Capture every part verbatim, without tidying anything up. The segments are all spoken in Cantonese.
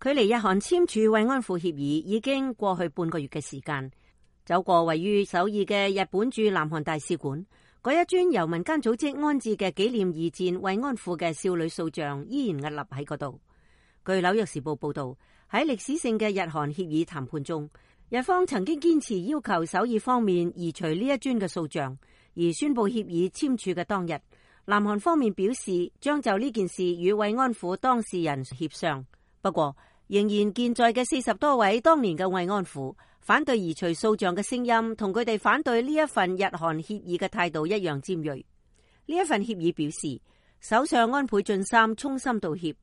距離日韓簽署慰安婦協議已經過去半個月嘅時間，走過位於首爾嘅日本駐南韓大使館，嗰一尊由民間組織安置嘅紀念二戰慰安婦嘅少女塑像依然屹立喺嗰度。據紐約時報報道，喺歷史性嘅日韓協議談判中，日方曾經堅持要求首爾方面移除呢一尊嘅塑像，而宣布協議簽署嘅當日，南韓方面表示將就呢件事與慰安婦當事人協商。不過，仍然健在嘅四十多位當年嘅慰安婦反對移除塑像嘅聲音，同佢哋反對呢一份日韓協議嘅態度一樣尖銳。呢一份協議表示，首相安倍晉三衷心道歉，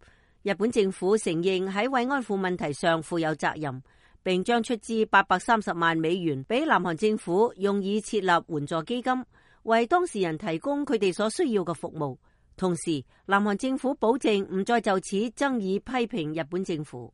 日本政府承認喺慰安婦問題上負有責任，並將出資八百三十萬美元俾南韓政府，用以設立援助基金，為當事人提供佢哋所需要嘅服務。同時，南韓政府保證唔再就此爭議批評日本政府。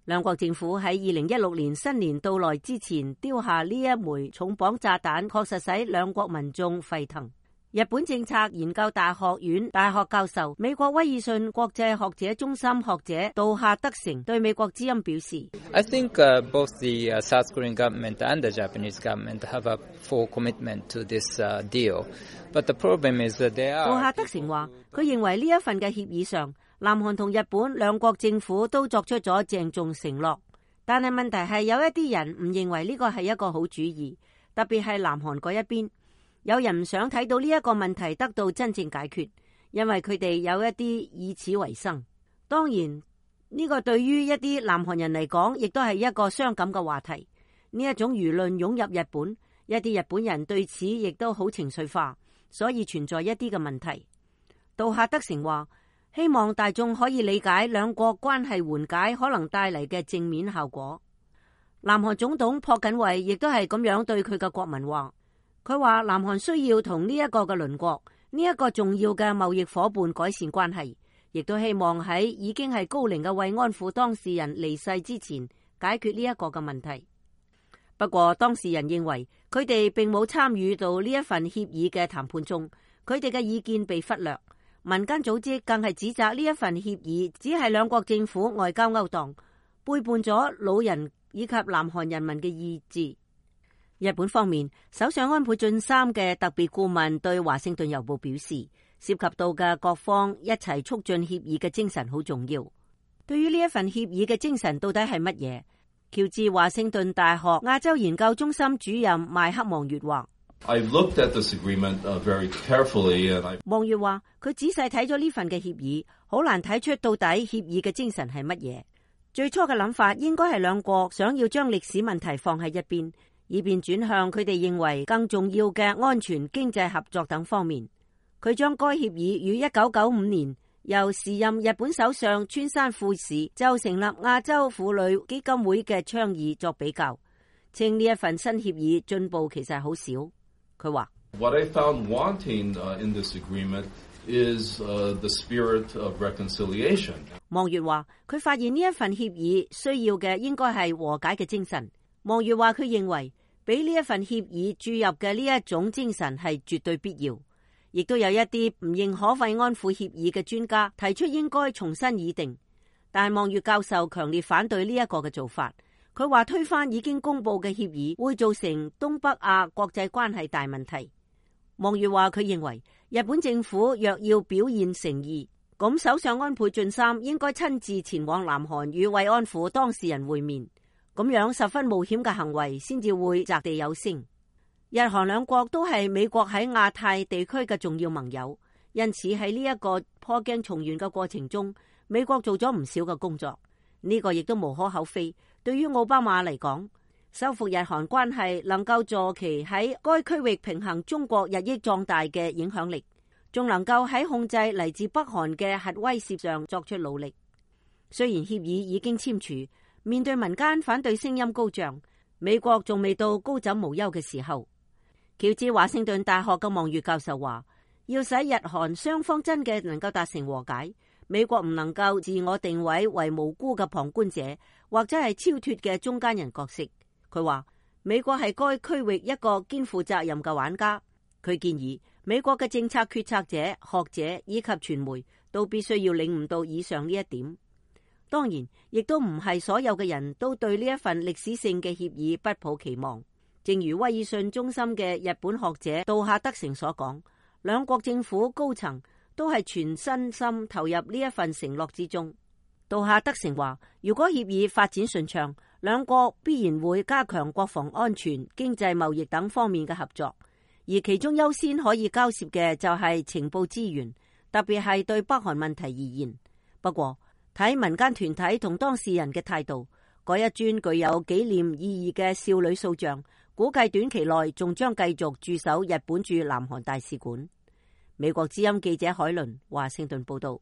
兩國政府喺二零一六年新年到來之前丟下呢一枚重磅炸彈，確實使兩國民眾沸騰。日本政策研究大學院大學教授、美國威爾遜國際學者中心學者杜夏德成對美國之音表示 I think, uh, both the, uh, South Korean government and the Japanese government have a full commitment to this, uh, deal. But the problem is that they are... 杜夏德成話，佢認為呢一份嘅協議上，南韓同日本兩國政府都作出咗鄭重承諾，但係問題係有一啲人唔認為呢個係一個好主意，特別係南韓嗰一邊。有人唔想睇到呢一個問題得到真正解決，因為佢哋有一啲以此為生。當然，呢個對於一啲南韓人嚟講，亦都係一個傷感嘅話題。呢一種輿論湧入日本，一啲日本人對此亦都好情緒化，所以存在一啲嘅問題。杜夏德成話，希望大眾可以理解兩國關係緩解可能帶嚟嘅正面效果。南韓總統朴槿惠亦都係咁樣對佢嘅國民話。佢話南韓需要同呢一個嘅鄰國，呢一個重要嘅貿易夥伴改善關係，亦都希望喺已經係高齡嘅慰安婦當事人離世之前解決呢一個嘅問題。不過當事人認為佢哋並冇參與到呢一份協議嘅談判中，佢哋嘅意見被忽略。民間組織更係指責呢一份協議只係兩國政府外交勾當，背叛咗老人以及南韓人民嘅意志。日本方面，首相安倍晉三嘅特別顧問對華盛頓郵報表示，涉及到嘅各方一齊促進協議嘅精神好重要。對於呢一份協議嘅精神到底係乜嘢？喬治華盛頓大學亞洲研究中心主任麥克望月話，望月話佢仔細睇咗呢份嘅協議，好難睇出到底協議嘅精神係乜嘢。最初嘅諗法應該係兩國想要將歷史問題放喺一邊，以便轉向佢哋認為更重要嘅安全、經濟合作等方面。佢將該協議與一九九五年由時任日本首相村山富市就成立亞洲婦女基金會嘅倡議作比較，稱呢一份新協議進步其實好少。佢話：What I found wanting in this agreement is the spirit of reconciliation。望月話：佢發現呢一份協議需要嘅應該係和解嘅精神。望月話：佢認為俾呢一份協議注入嘅呢一種精神係絕對必要，亦都有一啲唔認可慰安婦協議嘅專家提出應該重新擬定，但係望月教授強烈反對呢一個嘅做法。佢話推翻已經公布嘅協議會造成東北亞國際關係大問題。望月話佢認為日本政府若要表現誠意，咁首相安倍晉三應該親自前往南韓與慰安婦當事人會面。咁樣十分冒險嘅行為先至會擲地有聲。日韓兩國都係美國喺亞太地區嘅重要盟友，因此喺呢一個破鏡重圓嘅過程中，美國做咗唔少嘅工作。呢個亦都無可厚非。對於奧巴馬嚟講，修復日韓關係能夠助其喺該區域平衡中國日益壯大嘅影響力，仲能夠喺控制嚟自北韓嘅核威懾上作出努力。雖然協議已經簽署，面對民間反對聲音高漲，美國仲未到高枕無憂嘅時候。喬治華盛頓大學嘅望月教授話，要使日韓雙方真嘅能夠達成和解，美國唔能夠自我定位為無辜嘅旁觀者，或者係超脫嘅中間人角色。佢話美國係該區域一個肩負責任嘅玩家。佢建議美國嘅政策決策者、學者以及傳媒都必須要領悟到以上呢一點。當然，亦都唔係所有嘅人都對呢一份歷史性嘅協議不抱期望。正如威爾遜中心嘅日本學者杜夏德成所講，兩國政府高層都係全身心投入呢一份承諾之中。杜夏德成話，如果協議發展順暢，兩國必然會加強國防安全、經濟貿易等方面嘅合作，而其中優先可以交涉嘅就係情報資源，特別係對北韓問題而言。不過，睇民間團體同當事人嘅態度，嗰一尊具有紀念意義嘅少女塑像，估計短期內仲將繼續駐守日本駐南韓大使館。美國之音記者海倫華盛頓報道。